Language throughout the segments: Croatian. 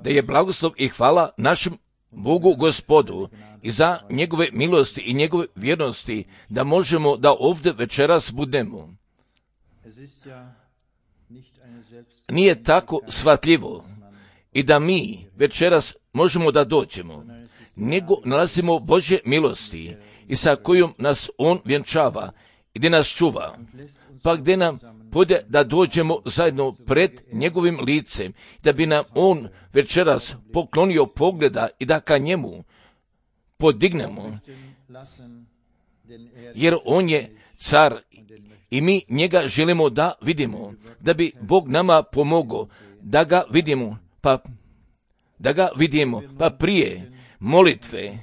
da je blagoslov i hvala našem Bogu Gospodu i za njegove milosti i njegove vjernosti da možemo da ovdje večeras budemo. Nije tako shvatljivo i da mi večeras možemo da dođemo, nego nalazimo Božje milosti i sa kojom nas On vjenčava i gdje nas čuva, pa gdje nam bude da dođemo zajedno pred njegovim licem, da bi nam On večeras poklonio pogleda i da ka njemu podignemo, jer On je car i mi njega želimo da vidimo, da bi Bog nama pomogao da ga vidimo, pa prije molitve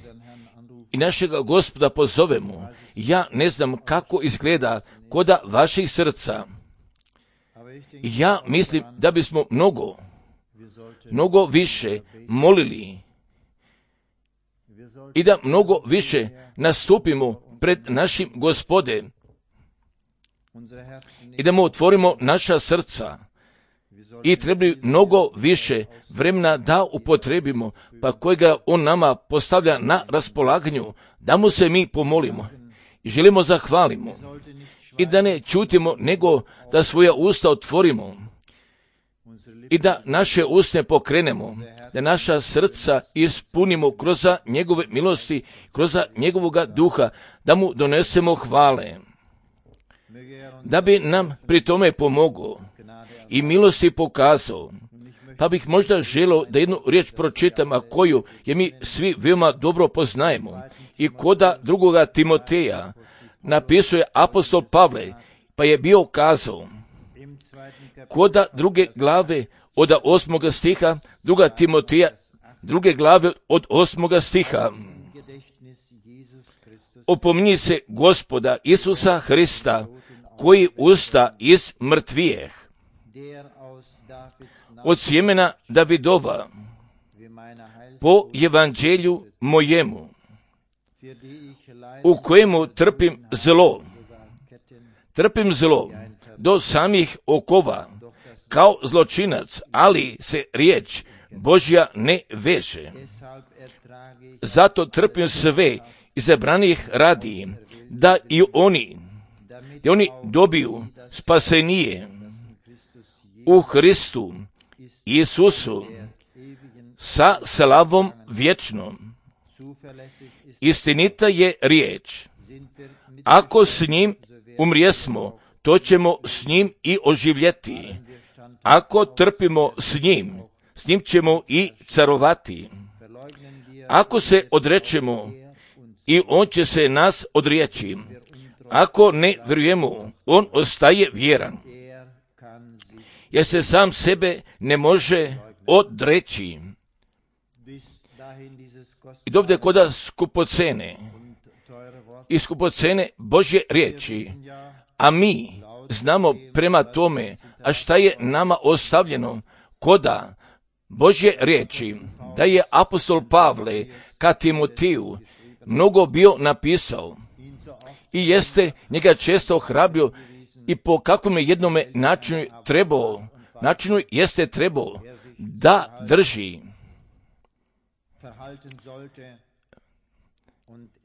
i našega Gospoda pozovemo. Ja ne znam kako izgleda koda vaših srca. Ja mislim da bismo mnogo više molili i da mnogo više nastupimo pred našim Gospodem i da mu otvorimo naša srca i trebali mnogo više vremena da upotrebimo, pa kojega On nama postavlja na raspolaganju, da mu se mi pomolimo i želimo zahvalimo i da ne čutimo, nego da svoja usta otvorimo i da naše usne pokrenemo, da naša srca ispunimo kroz njegove milosti, kroz njegovoga duha, da mu donesemo hvale, da bi nam pri tome pomogao i milosti pokazao. Pa bih možda želio da jednu riječ pročitam, a koju je mi svi veoma dobro poznajemo. I koda drugoga Timoteja napisuje apostol Pavle, pa je bio kazao, koda druge glave od 8. stiha, druga Timoteja, druge glave od 8. stiha, opominji se Gospoda Isusa Hrista, koji usta iz mrtvijeh, od sjemena Davidova, po evanđelju mojemu, u kojemu trpim zlo do samih okova, kao zločinac, ali se riječ Božja ne veže. Zato trpim sve izabranih radi, da i oni dobiju spasenije u Hristu Isusu sa slavom vječnom. Istinita je riječ. Ako s njim umrijesmo, to ćemo s njim i oživjeti. Ako trpimo s njim ćemo i carovati. Ako se odrečemo, i on će se nas odreći. Ako ne vjerujemo, on ostaje vjeran, jer se sam sebe ne može odreći. I dovde koda skupocene Božje riječi, a mi znamo prema tome, a šta je nama ostavljeno koda Božje riječi, da je apostol Pavle ka Timoteju mnogo bio napisao i jeste njega često ohrabrio i po kakvom je jednome načinu jeste trebao da drži.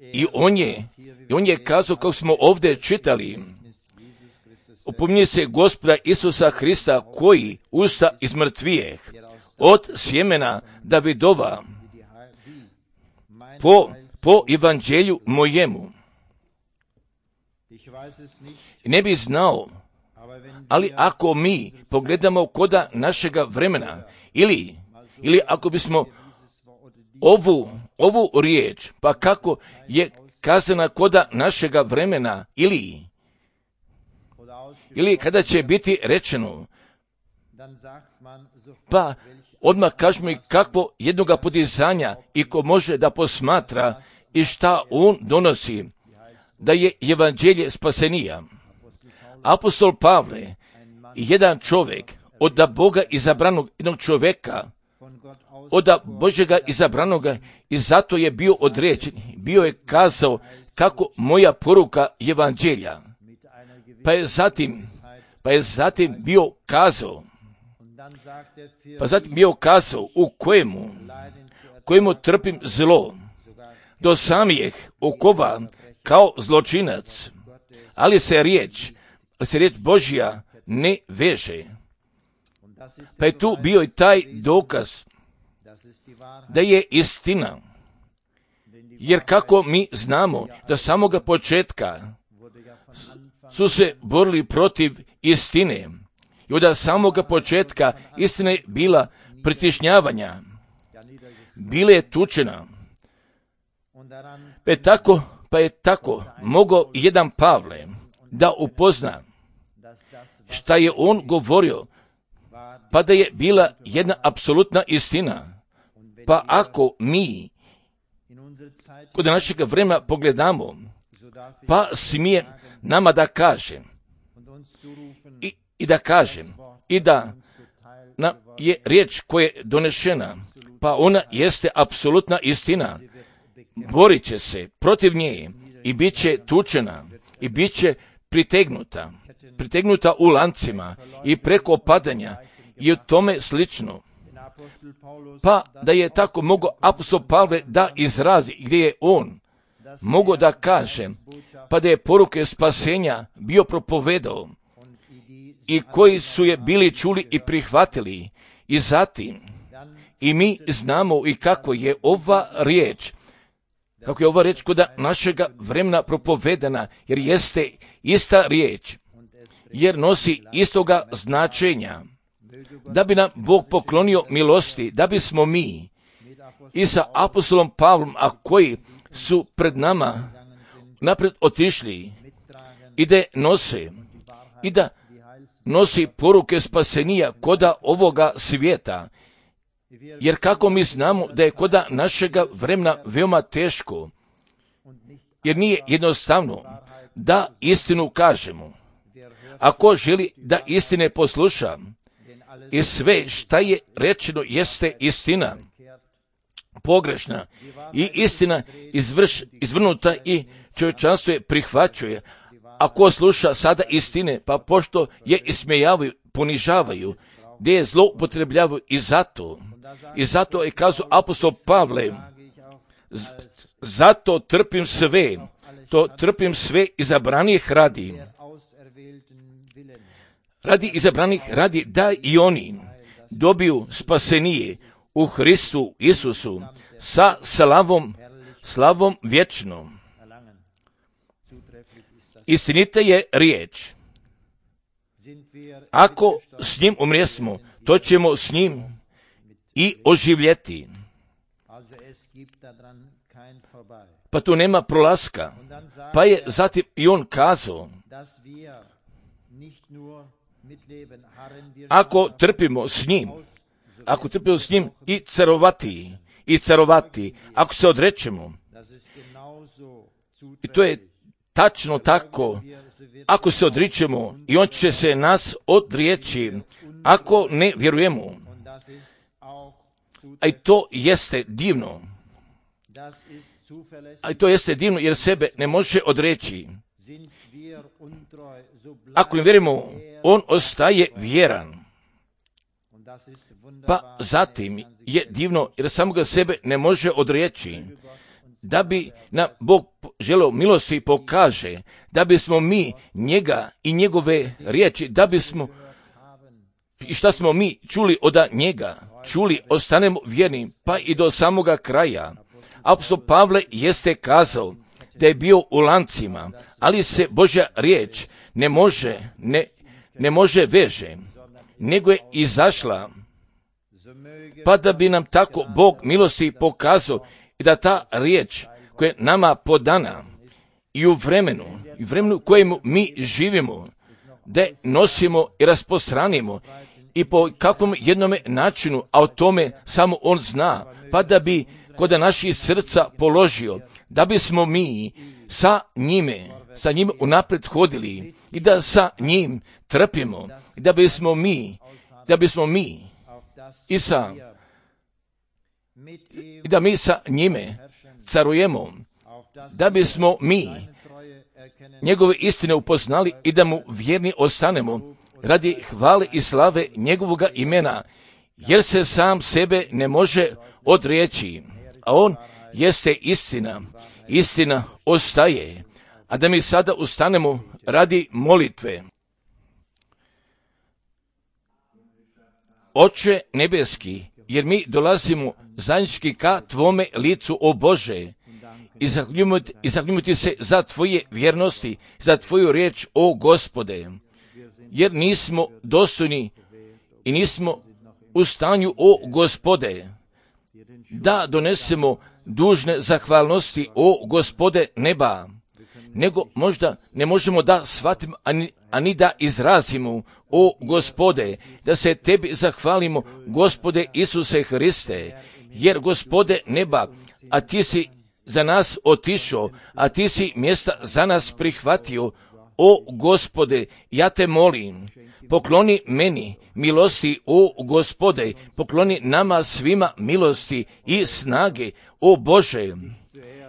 I on je kazao, kako smo ovdje čitali, opominji se Gospoda Isusa Hrista, koji usta iz mrtvijeh, od sjemena Davidova, po evanđelju mojemu. Ne bi znao, ali ako mi pogledamo koda našega vremena, ili ako bismo ovu riječ, pa kako je kazana koda našega vremena, ili kada će biti rečeno, pa odmah kažemo i kakvo jednoga podizanja i ko može da posmatra i šta on donosi, da je evanđelje spasenija. Apostol Pavle, jedan čovjek od Boga izabranog jednog čovjeka, od Božjega izabranoga, i zato je bio određen, bio je kazao kako moja poruka evanđelja. Pa je zatim bio kazao, Pa zatim je ukazao u kojemu trpim zlo, do samih okova kao zločinac, ali se riječ Božja ne veže. Pa je tu bio i taj dokaz da je istina. Jer kako mi znamo da samoga početka su se borili protiv istine i od samoga početka istina je bila pritišnjavanja, bila je tučena. Pa je tako mogao jedan Pavle da upozna šta je on govorio, pa da je bila jedna apsolutna istina. Pa ako mi kod našeg vremena pogledamo, pa smije nama da kaže i da kažem i da nam je riječ koja je donešena, pa ona jeste apsolutna istina. Borit će se protiv nje i bit će tučena i bit će pritegnuta u lancima i preko padanja i o tome slično. Pa da je tako mogao apostol Pavle da izrazi gdje je on mogao da kaže, pa da je poruke spasenja bio propovedao i koji su je bili čuli i prihvatili. I zatim i mi znamo i kako je ova riječ kod našega vremena propovedana, jer jeste ista riječ, jer nosi istoga značenja, da bi nam Bog poklonio milosti, da bismo mi i sa apostolom Pavlom, a koji su pred nama napred otišli i da nosi poruke spasenija koda ovoga svijeta. Jer kako mi znamo da je koda našega vremena veoma teško, jer nije jednostavno da istinu kažemo. Ako želi da istine posluša, i sve šta je rečeno jeste istina pogrešna i istina izvrnuta i čovječanstvo je prihvaćuje. Ako sluša sada istine, pa pošto je ismejavaju, ponižavaju, gdje je zloupotrebljavaju i zato je kazao apostol Pavle, zato trpim sve izabranih radi izabranih radi da i oni dobiju spasenije u Hristu Isusu sa slavom vječnom. Istinita je riječ. Ako s njim umrijesmo, to ćemo s njim i oživjeti. Pa tu nema prolaska. Pa je zatim i on kazao, ako trpimo s njim i carovati, ako se odrećemo, i to je tačno tako, ako se odričemo i on će se nas odrijeći, ako ne vjerujemo. A i to jeste divno. Jer sebe ne može odreći. Ako ne vjerujemo, on ostaje vjeran. Pa zatim je divno jer samoga sebe ne može odreći. Da bi nam Bog želeo milosti pokaže, da bismo mi njega i njegove riječi, da bismo i šta smo mi čuli od njega, ostanemo vjerni, pa i do samoga kraja. Apostol Pavle jeste kazao da je bio u lancima, ali se Božja riječ ne može veže, nego je izašla, pa da bi nam tako Bog milosti pokazao i da ta riječ koja je nama podana i u vremenu u kojemu mi živimo, da je nosimo i rasprostranimo i po kakvom jednome načinu, a o tome samo on zna, pa da bi kod naših srca položio, da bismo mi sa njime unaprijed hodili i da sa njim trpimo, i da bismo mi i da mi sa njime carujemo, da bismo mi njegove istine upoznali i da mu vjerni ostanemo, radi hvale i slave njegovoga imena, jer se sam sebe ne može odreći, a on jeste istina. Istina ostaje. A da mi sada ustanemo radi molitve. Oče nebeski, jer mi dolazimo zajednički ka Tvome licu, o Bože, i zahvaljujemo Ti se za Tvoje vjernosti, za Tvoju riječ, o Gospode, jer nismo dostojni i nismo u stanju, o Gospode, da donesemo dužne zahvalnosti, o Gospode neba, nego možda ne možemo da shvatimo, ani da izrazimo, o Gospode, da se Tebi zahvalimo, Gospode Isuse Hriste, jer Gospode neba, a Ti si za nas otišao, a Ti si mjesta za nas prihvatio, o Gospode, ja Te molim, pokloni meni milosti, o Gospode, pokloni nama svima milosti i snage, o Bože,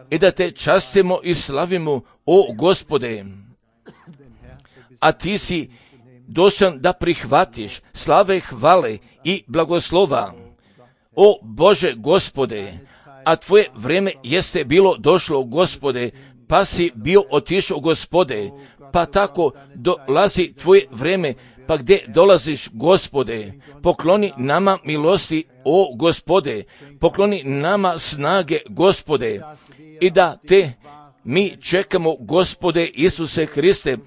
i da Te častimo i slavimo, o Gospode, a Ti si dostojan da prihvatiš slave, hvale i blagoslova, o Bože Gospode, a Tvoje vrijeme jeste bilo došlo, Gospode, pa si bio otišao, Gospode, pa tako dolazi Tvoje vrijeme, pa gdje dolaziš, Gospode, pokloni nama milosti, o Gospode, pokloni nama snage, Gospode, i da Te mi čekamo, Gospode Isuse Hriste,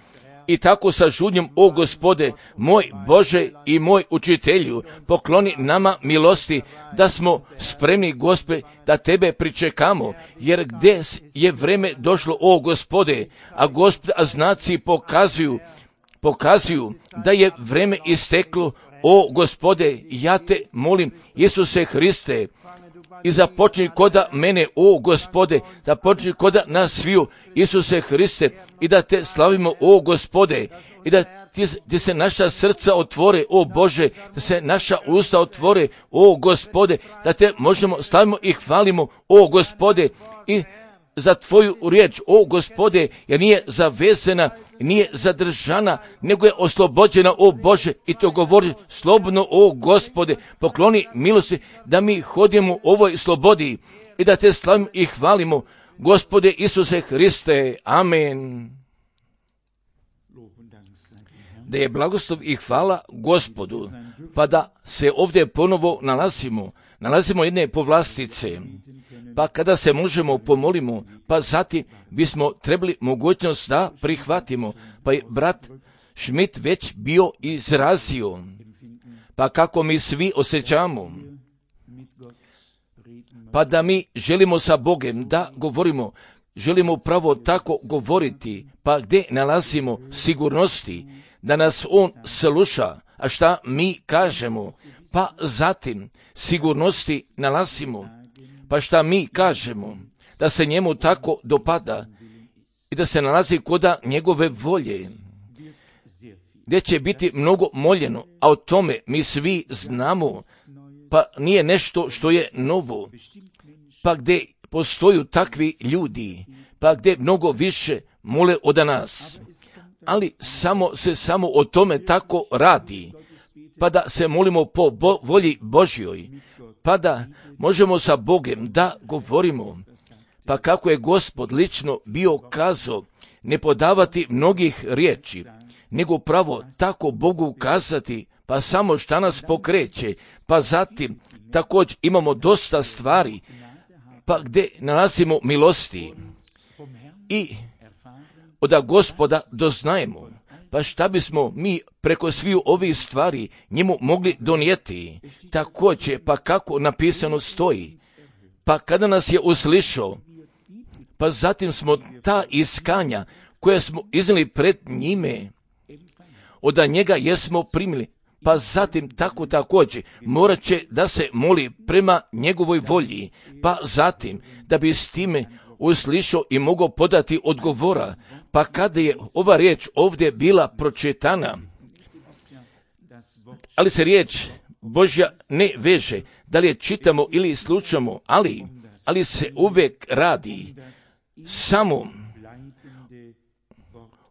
i tako sa žudnjom, o Gospode, moj Bože i moj učitelju, pokloni nama milosti, da smo spremni, Gospode, da Tebe pričekamo, jer gdje je vrijeme došlo, o Gospode, a znaci pokazuju da je vrijeme isteklo, o Gospode, ja Te molim, Isuse Hriste, i započni koda mene, o Gospode, započni koda nas sviju, Isuse Hriste, i da Te slavimo, o Gospode, i da ti se naša srca otvore, o Bože, da se naša usta otvore, o Gospode, da Te možemo slavimo i hvalimo, o Gospode, i za Tvoju riječ, o Gospode, jer nije zavezena, nije zadržana, nego je oslobođena, o Bože, i to govori slobodno, o Gospode, pokloni milosti da mi hodimo u ovoj slobodi i da Te slavimo i hvalimo, Gospode Isuse Hriste, amen. Da je blagoslov i hvala Gospodu, pa da se ovdje ponovo nalazimo jedne povlastice, pa kada se možemo pomolimo, pa zatim bismo trebali mogućnost da prihvatimo, pa je brat Schmidt već bio izrazio, pa kako mi svi osjećamo, pa da mi želimo sa Bogom da govorimo, želimo pravo tako govoriti, pa gdje nalazimo sigurnosti, da nas On sluša, a šta mi kažemo, pa zatim sigurnosti nalazimo, pa šta mi kažemo, da se njemu tako dopada i da se nalazi koda njegove volje, gdje će biti mnogo moljeno, a o tome mi svi znamo, pa nije nešto što je novo, pa gdje postoju takvi ljudi, pa gdje mnogo više mole od nas, ali samo o tome tako radi, pa da se molimo po volji Božjoj, pa da možemo sa Bogom da govorimo, pa kako je Gospod lično bio kazao, ne podavati mnogih riječi, nego pravo tako Bogu kazati, pa samo šta nas pokreće, pa zatim također imamo dosta stvari, pa gdje nalazimo milosti i od Gospoda doznajemo, pa šta bismo mi preko svih ovih stvari njemu mogli donijeti, također, pa kako napisano stoji, pa kada nas je uslišao, pa zatim smo ta iskanja koja smo iznijeli pred njime, od njega jesmo primili, pa zatim tako također morat će da se moli prema njegovoj volji, pa zatim da bi s time uslišao i mogao podati odgovora, pa kada je ova riječ ovdje bila pročitana, ali se riječ Božja ne veže, da li je čitamo ili slušamo, ali se uvijek radi samo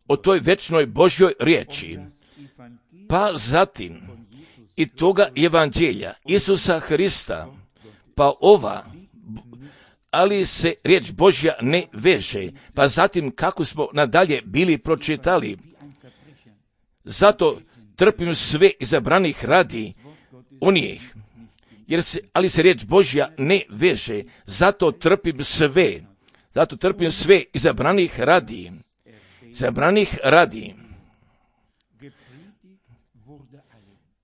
o toj večnoj Božjoj riječi. pa zatim i toga evanđelja Isusa Hrista, pa ova, ali se riječ Božja ne veže, pa zatim kako smo nadalje bili pročitali. Zato trpim sve izabranih radi onih, ali se riječ Božja ne veže, zato trpim sve izabranih radi.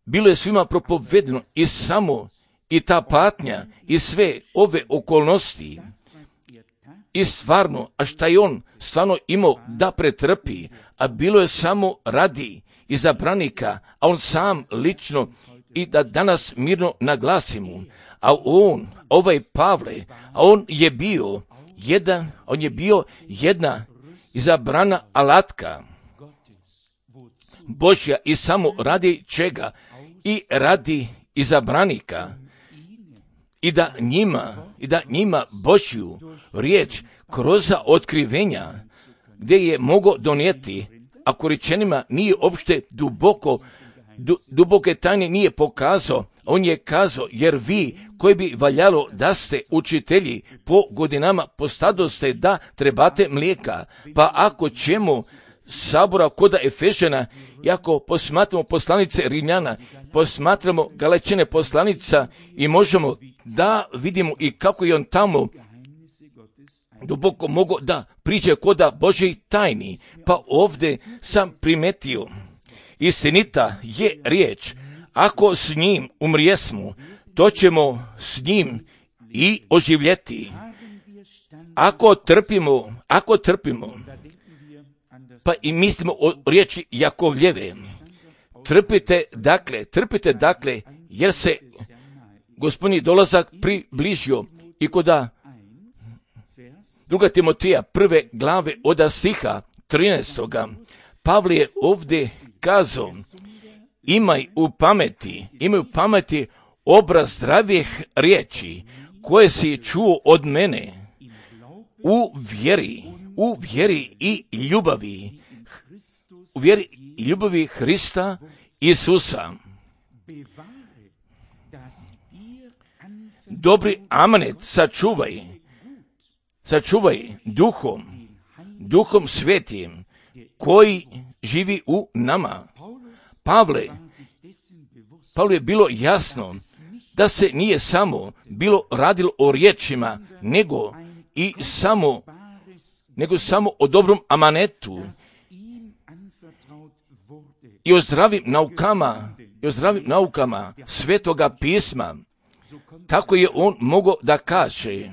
Bilo je svima propovedeno i ta patnja i sve ove okolnosti i stvarno, a šta je on stvarno imao da pretrpi, a bilo je samo radi izabranika, a on sam lično i da danas mirno naglasimo, a ovaj Pavle, a on je bio jedna izabrana alatka Božja i samo radi čega? I radi izabranika i da njima Božju riječ kroz otkrivenja gdje je mogao donijeti, ako rečenima nije uopšte duboke tajne nije pokazao, on je kazao, jer vi koji bi valjalo da ste učitelji po godinama postadoste da trebate mlijeka, pa ako ćemo sabora koda Efežana, i ako posmatramo poslanice Rimljana, posmatramo Galačane poslanica i možemo da vidimo i kako je on tamo duboko mogao da priđe koda Božjih tajni, pa ovdje sam primetio, istinita je riječ, ako s njim umrijesmo, to ćemo s njim i oživjeti. Ako trpimo, pa i mislimo o riječi Jakovljeve, trpite dakle, jer se Gospodnji dolazak približio. I koda 2. Timoteja 1. glave od stiha 13. Pavle je ovdje kazao, imaj u pameti obraz zdravih riječi koje si čuo od mene u vjeri i ljubavi Hrista Isusa. Dobri amanet sačuvaj duhom svetim koji živi u nama. Pavle je bilo jasno da se nije samo bilo radilo o riječima, nego samo o dobrom amanetu i o zdravim naukama Svetoga pisma. Tako je on mogao da kaže,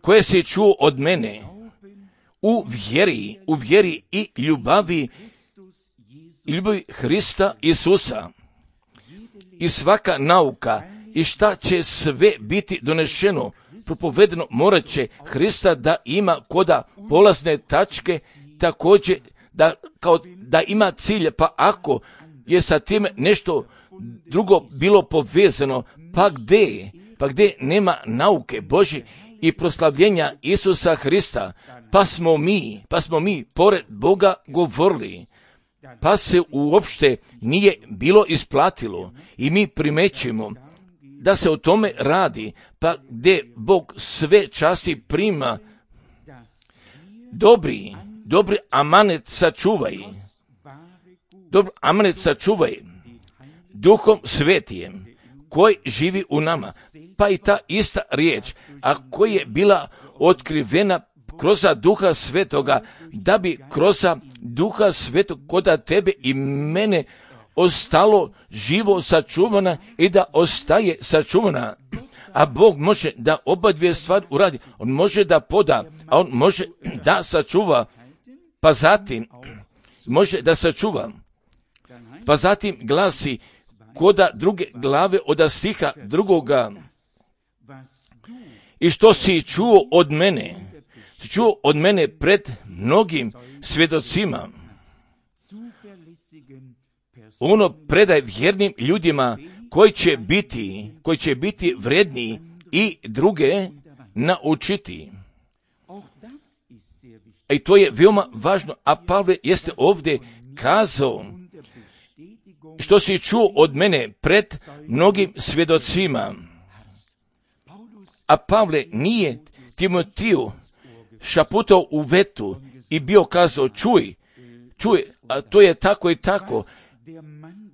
koje si čuo od mene u vjeri i ljubavi Hrista Isusa. I svaka nauka i šta će sve biti donešeno, propovedeno, morat će Hrista da ima koda polazne tačke, također da ima cilje, pa ako je sa tim nešto drugo bilo povezano, pa gdje nema nauke Božje i proslavljenja Isusa Hrista, pa smo mi pored Boga govorili, pa se uopšte nije bilo isplatilo i mi primećujemo da se o tome radi, pa gdje Bog sve časti prima, dobri amanet sačuvaj Duhom Svetijem koji živi u nama. Pa i ta ista riječ, a koja je bila otkrivena kroz Duha Svetoga, da bi kroz Duha Svetog koda tebe i mene ostalo živo sačuvana i da ostaje sačuvana. A Bog može da oba dvije stvari uradi. On može da poda, a on može da sačuva, pa zatim može da sačuva. Pa zatim glasi koda 2. glave od stiha 2. I što si čuo od mene pred mnogim svjedocima, ono predaj vjernim ljudima koji će biti vredni i druge naučiti. I to je veoma važno, a Pavle jeste ovdje kazao što si čuo od mene pred mnogim svjedocima. A Pavle nije Timotiju šaputao u vetu i bio kazao, čuj, a to je tako i tako.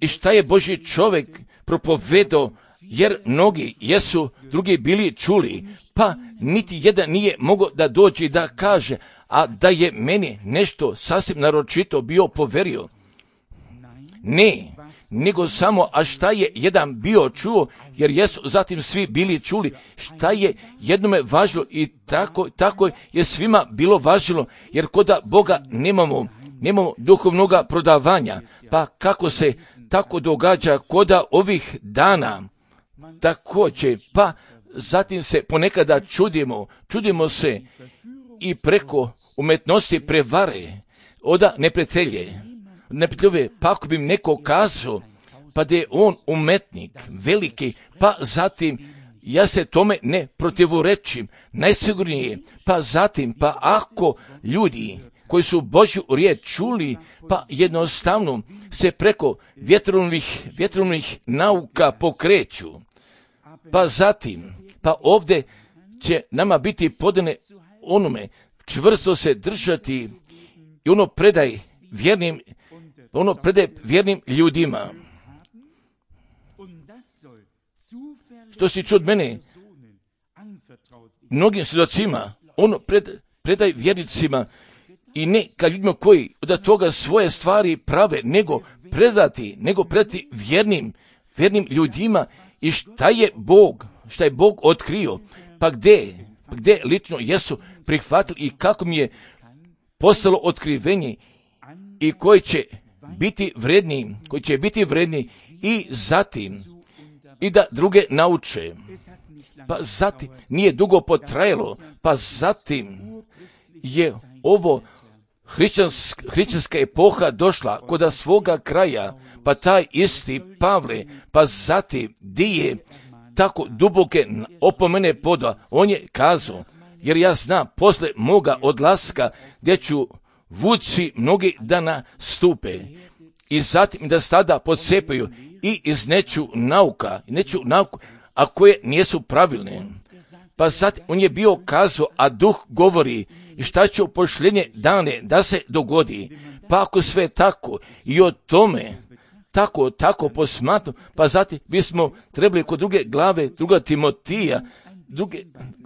I šta je Božji čovjek propovedao, jer mnogi jesu drugi bili čuli, pa niti jedan nije mogao da dođe i da kaže, a da je meni nešto sasvim naročito bio poverio. Ne, nego samo, a šta je jedan bio čuo, jer jesu zatim svi bili čuli, šta je jednome važilo i tako je svima bilo važilo, jer koda Boga nemamo duhovnog prodavanja, pa kako se tako događa koda ovih dana, također, pa zatim se ponekada čudimo se i preko umetnosti prevare, oda neprijatelje, pa ako bi im neko kazao, pa da je on umetnik, veliki, pa zatim ja se tome ne protivorečim, najsigurnije, pa zatim, pa ako ljudi koji su Božju riječ čuli, pa jednostavno se preko vjetrovnih nauka pokreću, pa zatim, pa ovdje će nama biti podane onome, čvrsto se držati i ono predaj vjernim ljudima. Što si čuo od mene, mnogim svjedocima, ono predaj vjernicima i ne ka ljudima koji od toga svoje stvari prave, nego predati vjernim ljudima i šta je Bog otkrio, pa gdje lično jesu prihvatili i kako mi je postalo otkrivenje i koji će biti vredni i zatim i da druge nauče. Pa zatim nije dugo potrajalo, pa zatim je ovo hrišćanska epoha došla kod svoga kraja, pa taj isti Pavle, pa zatim di je tako duboke opomene poda, on je kazao, jer ja znam posle moga odlaska gdje ću vuci mnogi da nastupe i zatim da sada podsepaju i izneću nauka, a koje nisu pravilne. Pa zatim on je bio kazao, a duh govori i šta će u posljednje dane da se dogodi. Pa ako sve tako i o tome tako posmatnu, pa zatim bismo trebali kod druge glave, druga Timotija,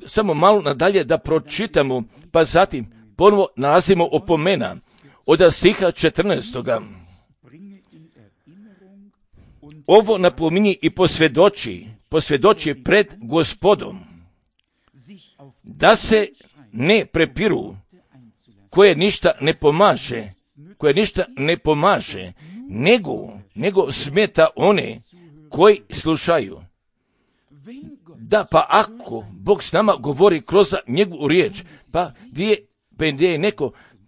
samo malo nadalje da pročitamo, pa zatim ponovo nalazimo opomena od stiha 14. Ovo napominji i posvjedoči pred Gospodom, da se ne prepiru, koje ništa ne pomaže, nego smeta one koji slušaju. Da, pa ako Bog s nama govori kroz njegovu riječ, pa gdje je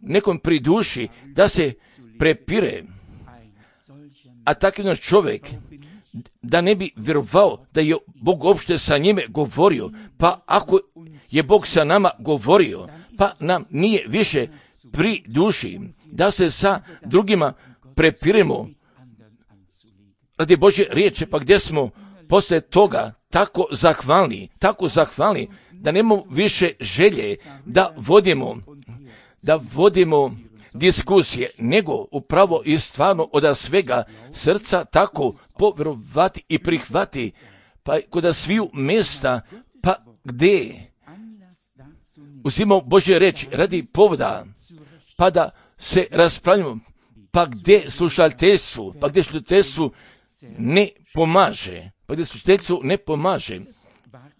nekom priduši da se prepire, a takav čovjek da ne bi vjerovao da je Bog uopšte sa njime govorio, pa ako je Bog sa nama govorio, pa nam nije više pri duši da se sa drugima prepiremo radi Božje riječi, pa gdje smo poslije toga tako zahvalni da nemamo više želje da vodimo diskusije, nego upravo i stvarno od svega srca tako povjerovati i prihvati, pa kod sviju mjesta, pa gdje uzimamo Božje reči radi povoda, pa da se raspravljamo, pa gdje slušateljstvu ne pomaže,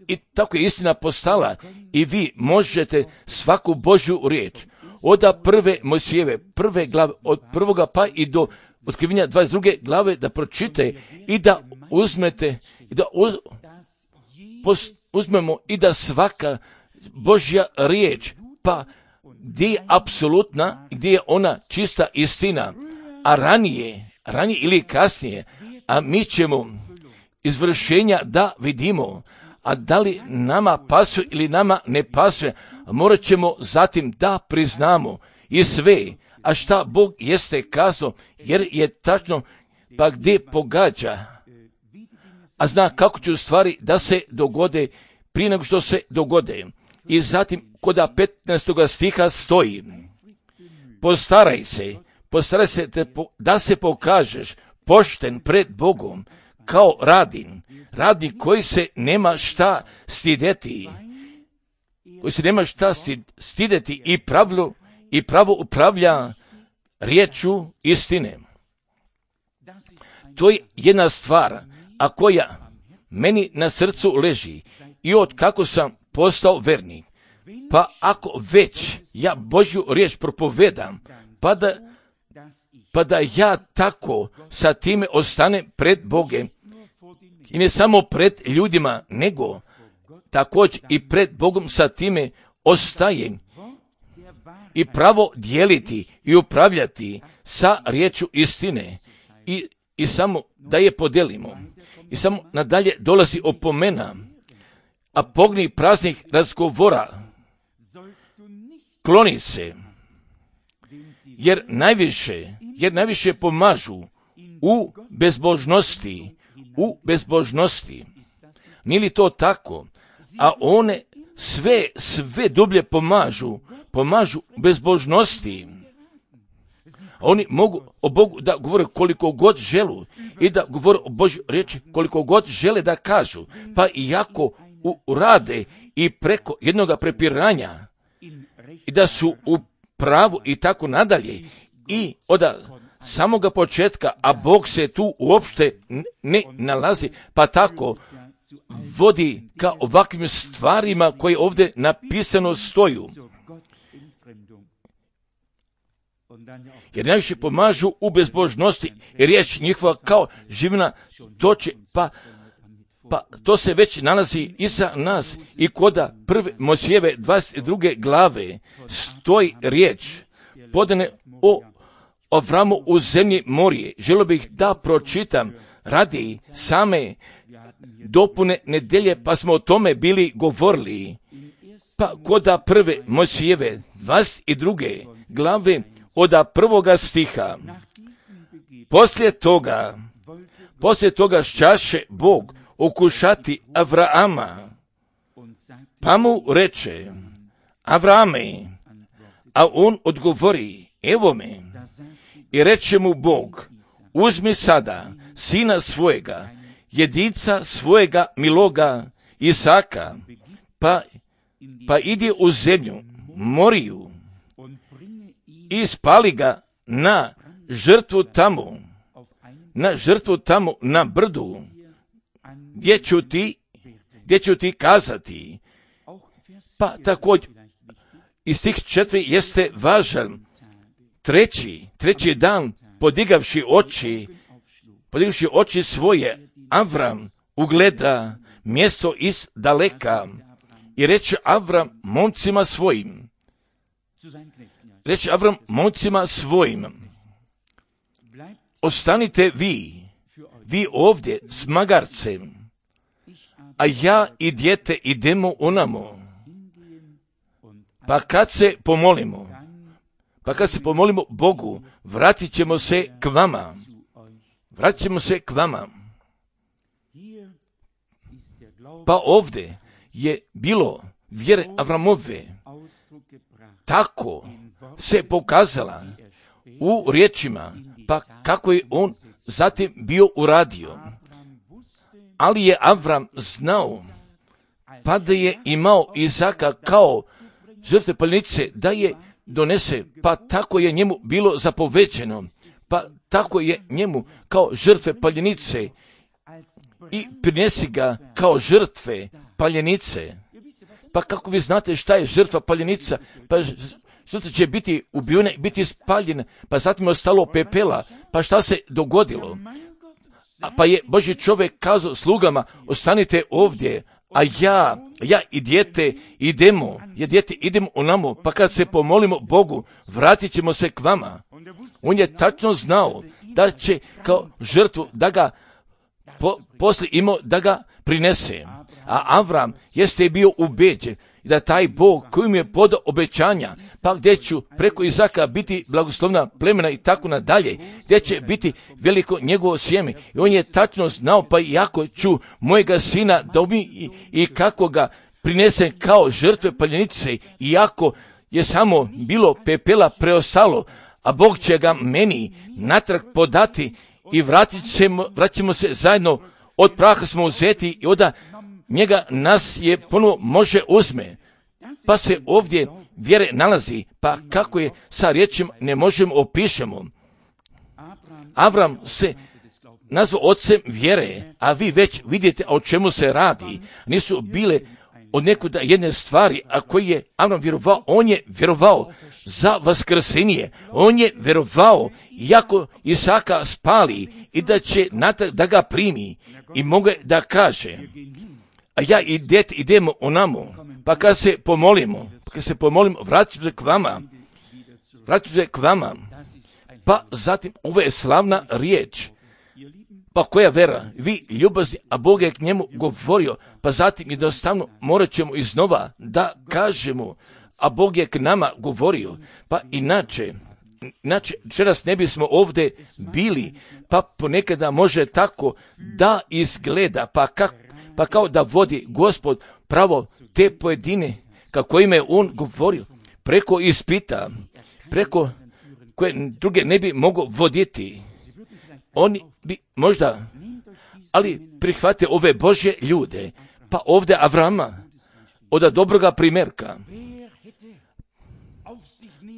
I tako je istina postala i vi možete svaku Božju riječ od prve Mojsijeve, prve glave, od prvoga pa i do otkrivenja 22. glave da pročitate i da uzmete, i da uzmemo i da svaka Božja riječ, pa gdje je apsolutna, gdje je ona čista istina, a ranije ili kasnije, a mi ćemo izvršenja da vidimo, a da li nama pasuje ili nama ne pasuje, morat ćemo zatim da priznamo i sve, a šta Bog jeste kazao, jer je tačno pa gdje pogađa, a zna kako će u stvari da se dogode prije nego što se dogode. I zatim kod 15. stiha stoji: postaraj se da se pokažeš pošten pred Bogom kao radnik koji se nema šta stideti, i pravo upravlja riječu istine. To je jedna stvar, a koja meni na srcu leži i od kako sam postao vernik. Pa ako već ja Božju riječ propovedam, pa da ja tako sa time ostanem pred Bogom, i ne samo pred ljudima, nego također i pred Bogom sa time ostajem, i pravo dijeliti i upravljati sa riječu istine, i samo da je podijelimo. I samo nadalje dolazi opomena: a pogni praznih razgovora, kloni se, jer najviše pomažu u bezbožnosti. Nije li to tako? A one sve dublje pomažu bezbožnosti. Oni mogu o Bogu da govore koliko god želu i da govore o Božjoj riječi koliko god žele da kažu, pa iako urade i preko jednoga prepiranja i da su u pravu i tako nadalje, i od samoga početka, a Bog se tu uopšte ne nalazi, pa tako vodi ka ovakvim stvarima koje ovdje napisano stoju. Jer najviše pomažu u bezbožnosti, i riječ njihova kao živina toče, pa to se već nalazi iza nas. I koda prve Mojsijeve 22. glave stoji riječ podane o Avramu u zemlji Morije. Želio bih da pročitam radi same dopune nedelje, pa smo o tome bili govorili. Pa koda prve Mojsijeve 22. glave od 1. stiha: poslije toga šćaše Bog okušati Avraama, pa mu reče: Avrame, a on odgovori: evo me. I reče mu Bog: uzmi sada sina svojega, jedinca svojega miloga Isaka, pa idi u zemlju Moriju i spali ga na žrtvu tamo na brdu, gdje ću ti kazati. Pa također i stih 4 jeste važan. Treći dan podigavši oči svoje, Avram ugleda mjesto iz daleka i reče Avram momcima svojim: ostanite vi ovdje s magarcem, a ja i dijete idemo onamo. Pa kad se pomolimo Bogu, vratit ćemo se k vama. Pa ovdje je bilo vjere Avramove, tako se pokazala u riječima, pa kako je on zatim bio uradio. Ali je Avram znao, pa da je imao Izaka kao žrtve paljenice, da je donese, pa tako je njemu bilo zapovećeno, pa tako je njemu kao žrtve paljenice i prinesi ga kao žrtve paljenice. Pa kako vi znate šta je žrtva paljenica? Pa žrtva će biti ubijena, biti spaljena, pa zatim je ostalo pepela. Pa šta se dogodilo? Pa je Božji čovjek kazao slugama: ostanite ovdje, a ja i dijete idemo onamo, pa kad se pomolimo Bogu, vratit ćemo se k vama. On je tačno znao da će kao žrtvu da ga poslije imao da ga prinese. a Avram jeste bio ubeđen da taj Bog koji mu je podao obećanja, pa gdje ću preko Izaka biti blagoslovna plemena i tako nadalje, gdje će biti veliko njegovo sjeme. I on je tačno znao, pa iako ću mojega sina dobi i kako ga prinesem kao žrtve paljenice, iako je samo bilo pepela preostalo, a Bog će ga meni natrag podati i vraćamo se zajedno, od praha smo uzeti i onda njega nas je ponovo može uzme. Pa se ovdje vjere nalazi, pa kako je sa riječima ne možemo opišemo. Avram se nazvao ocem vjere, a vi već vidite o čemu se radi. Nisu bile od nekuda jedne stvari, a koji je Avram vjerovao, on je vjerovao za vaskrsenje, on je vjerovao iako Isaka spali i da će da ga primi i mogu da kaže, a ja i dete idemo onamo, pa kad se pomolimo, vraćam se k vama, pa zatim ovo je slavna riječ. Pa koja vera? Vi ljubazni, a Bog je k njemu govorio, pa zatim jednostavno morat ćemo iznova da kažemo, a Bog je k nama govorio. Pa inače večeras ne bismo ovdje bili, pa ponekada može tako da izgleda, pa kao da vodi Gospod pravo te pojedine, kako im je on govorio, preko ispita, preko koje druge ne bi mogao voditi. Oni bi možda, ali prihvate ove Božje ljude, pa ovdje Avrama, od dobroga primjerka,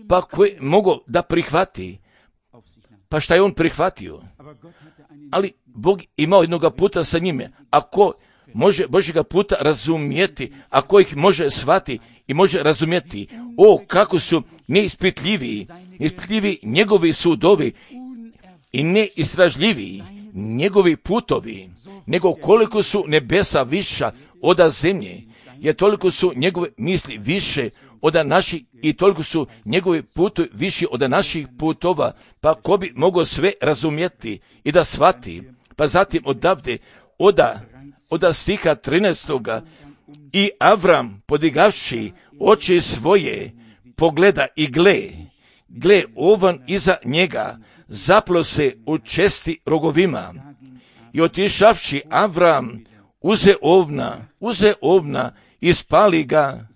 pa koji mogu da prihvati, pa šta je on prihvatio? Ali Bog imao jednoga puta sa njime, ako može Božjega puta razumjeti, ako ih može shvati i može razumjeti, kako su neispitljivi njegovi sudovi i neistražljiviji njegovi putovi, nego koliko su nebesa viša od zemlje, jer toliko su njegove misli više od naših i toliko su njegovi putovi viši od naših putova, pa ko bi mogao sve razumjeti i da shvati. Pa zatim odavde, od stiha 13. I Avram podigavši oči svoje, pogleda i gle ovan iza njega, zaplo se u česti rogovima. I otišavši Avram uze ovna i spali ga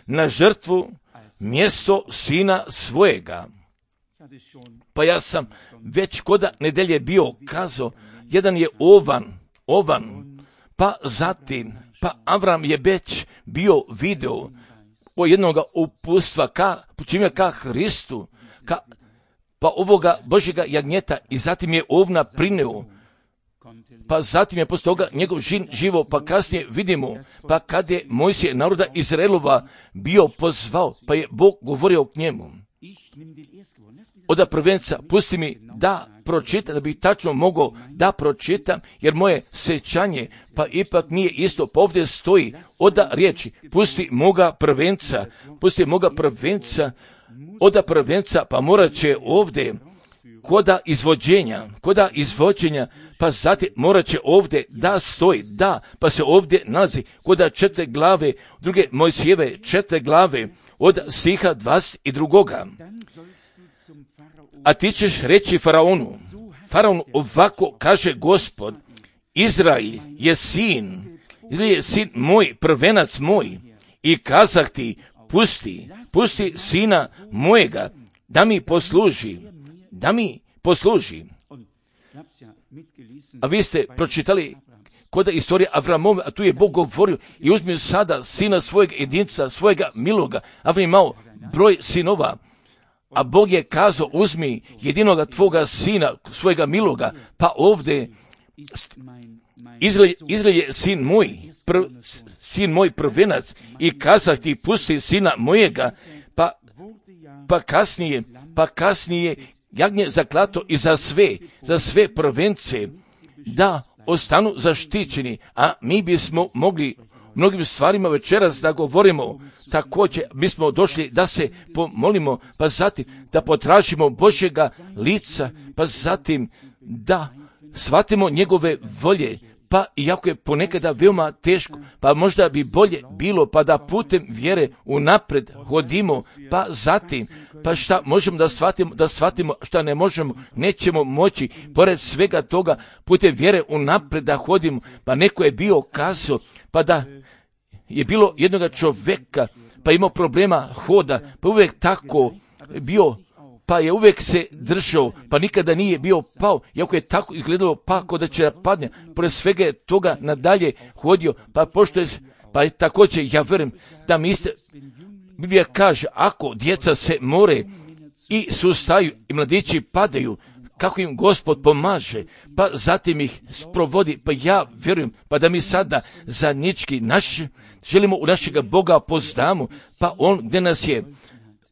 na žrtvu mjesto sina svojega. Pa ja sam već koda nedelje bio kazao, jedan je ovan, pa zatim, Avram je već bio video o jednoga upustva ka Hristu, pa ovoga Božjega jagnjeta, i zatim je ovna prineo, pa zatim je poslije toga njegov živo, pa kasnije vidimo, pa kad je Mojsije naroda Izraelova bio pozvao, pa je Bog govorio k njemu. Od prvenca, pusti mi da pročitam, da bih tačno mogao da pročitam, jer moje sećanje, pa ipak nije isto, pa ovdje stoji od riječi, pusti moga prvenca, od prvenca, pa morat će ovdje koda izvođenja, pa zatim morat će ovdje da stoji, pa se ovdje nalazi koda 4 glave, druge Mojsijeve 4 glave, od stiha 22. A ti ćeš reći Faraonu, ovako kaže Gospod, Izrael je sin moj, prvenac moj, i kazah ti, pusti sina mojega, da mi posluži. A vi ste pročitali kod istorije Avramove, a tu je Bog govorio, i uzmi sada sina svojeg jedinca, svojega miloga. Avram imao broj sinova, a Bog je kazao, uzmi jedinoga tvoga sina, svojega miloga, pa ovdje Izrael je sin moj prvenac, i kazah ti, pusti sina mojega, pa kasnije jagnje zaklato i za sve prvence, da ostanu zaštićeni, a mi bismo mogli mnogim stvarima večeras da govorimo. Također bismo došli da se pomolimo, pa zatim da potražimo Božjega lica, pa zatim da shvatimo njegove volje, pa iako je ponekada veoma teško, pa možda bi bolje bilo pa da putem vjere unapred hodimo, pa zatim, pa šta možemo da shvatimo šta ne možemo, nećemo moći, pored svega toga putem vjere unapred da hodimo, pa neko je bio kazao, pa da je bilo jednoga čovjeka, pa imao problema hoda, pa uvijek tako bio, pa je uvijek se držao, pa nikada nije bio pao, iako je tako izgledalo pa kao da će padne, pored svega je toga nadalje hodio, pa pošto je, pa je također, ja vjerujem da mi iste, Biblija kaže, ako djeca se more i sustaju i mladići padaju, kako im Gospod pomaže, pa zatim ih sprovodi, pa ja vjerujem, pa da mi sada zajednički želimo u našega Boga poznamo, pa On gdje nas je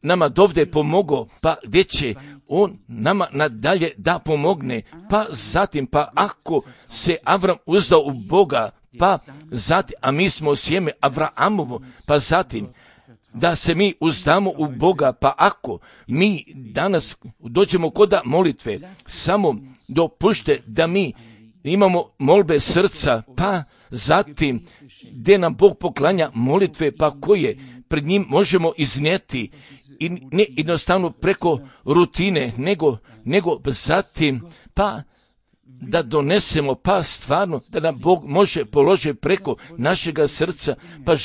nama dovde pomogao, pa gdje će On nama nadalje da pomogne, pa zatim, pa ako se Avram uzdao u Boga, pa zatim, a mi smo sjeme Avramovo, pa zatim, da se mi uzdamo u Boga, pa ako mi danas dođemo kod molitve, samo dopušte da mi imamo molbe srca, pa zatim gdje nam Bog poklanja molitve, pa koje pred njim možemo iznijeti i ne jednostavno preko rutine, nego zatim pa da donesemo, pa stvarno da nam Bog može položiti preko našega srca, pa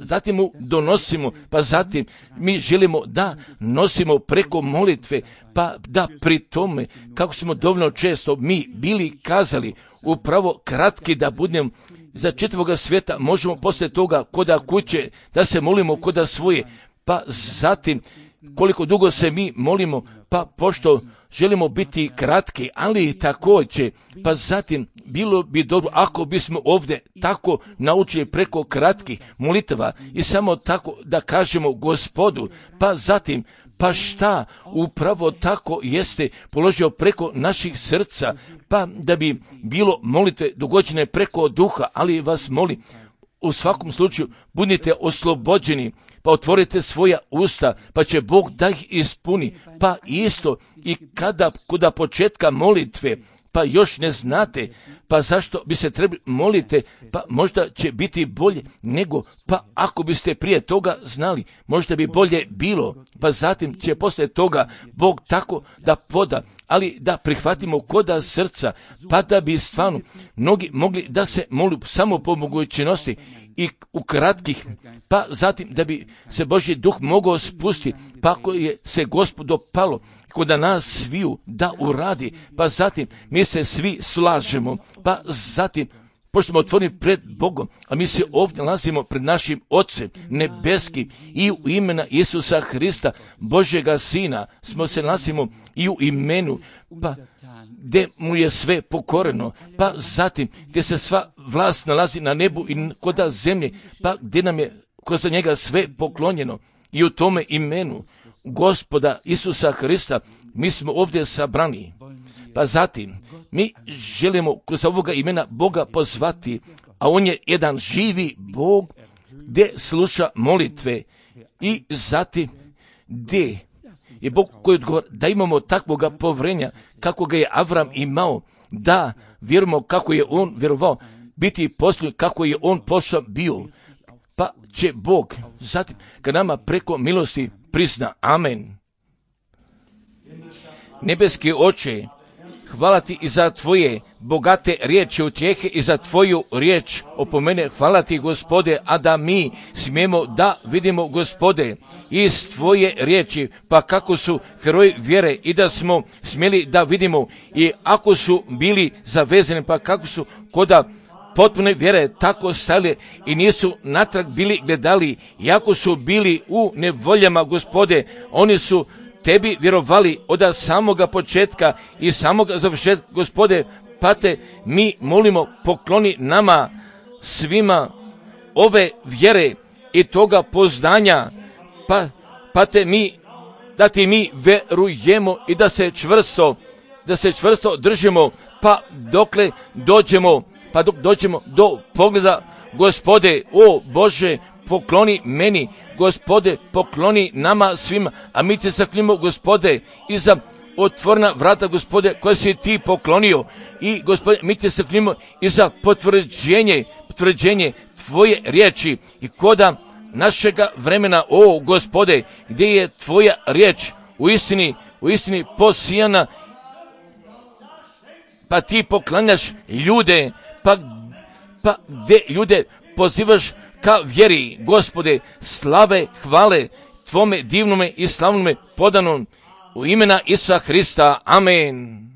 zatim mu donosimo, pa zatim mi želimo da nosimo preko molitve, pa da pri tome, kako smo dovoljno često mi bili kazali, upravo kratki da budemo za čitavoga svijeta, možemo poslije toga koda kuće da se molimo koda svoje, pa zatim koliko dugo se mi molimo, pa pošto želimo biti kratki, ali također, pa zatim bilo bi dobro ako bismo ovdje tako naučili preko kratkih molitava i samo tako da kažemo Gospodu, pa zatim, pa šta upravo tako jeste položio preko naših srca, pa da bi bilo molitve dogođene preko duha, ali vas molim, u svakom slučaju budite oslobođeni, pa otvorite svoja usta, pa će Bog da ih ispuni, pa isto i kada kod početka molitve, pa još ne znate, pa zašto bi se trebali molite, pa možda će biti bolje nego, pa ako biste prije toga znali, možda bi bolje bilo, pa zatim će poslije toga Bog tako da poda, ali da prihvatimo koda srca, pa da bi stvarno mnogi mogli da se molu samo po mogućnosti i u kratkih, pa zatim da bi se Božji duh mogao spustiti, pa ako je se Gospodu palo kod nas sviju da uradi, pa zatim mi se svi slažemo, pa zatim pošto smo otvoreni pred Bogom, a mi se ovdje nalazimo pred našim Ocem nebeskim i u imena Isusa Hrista, Božjega Sina, smo se nalazimo i u imenu, pa gdje mu je sve pokoreno, pa zatim gdje se sva vlast nalazi na nebu i koda zemlje, pa gdje nam je kroz njega sve poklonjeno i u tome imenu Gospoda Isusa Hrista mi smo ovdje sabrani. Pa zatim mi želimo kroz ovoga imena Boga pozvati, a On je jedan živi Bog gdje sluša molitve i zatim gdje je Bog koji odgovara da imamo takvoga povrenja kako ga je Avram imao, da vjerujemo kako je on vjerovao, biti posljednji kako je on posao bio, pa će Bog zatim kad nama preko milosti prizna. Amen. Nebeski Oče, hvala ti i za tvoje bogate riječi utjehe i za tvoju riječ opomene. Hvala ti, Gospode, a da mi smijemo da vidimo, Gospode, iz tvoje riječi, pa kako su heroji vjere i da smo smjeli da vidimo i ako su bili zavezani, pa kako su koda potpune vjere tako stali i nisu natrag bili gledali, iako su bili u nevoljama, Gospode, oni su tebi vjerovali od samoga početka i samoga završetka, Gospode, pa te mi molimo, pokloni nama svima ove vjere i toga poznanja, pa te mi, da ti mi verujemo i da se čvrsto držimo, pa dokle dođemo, pa dok dođemo do pogleda, Gospode, o Bože, pokloni meni, Gospode, pokloni nama svima, a mi te zaklinimo, Gospode, i za otvorena vrata, Gospode, koja si ti poklonio. I, Gospode, mi te se klinimo i za potvrđenje tvoje riječi i koda našega vremena, o Gospode, gdje je tvoja riječ u istini posijana, pa ti poklanjaš ljude, pa gdje ljude pozivaš ka vjeri, Gospode, slave, hvale tvome divnome i slavnome podanom u imena Isusa Hrista. Amen.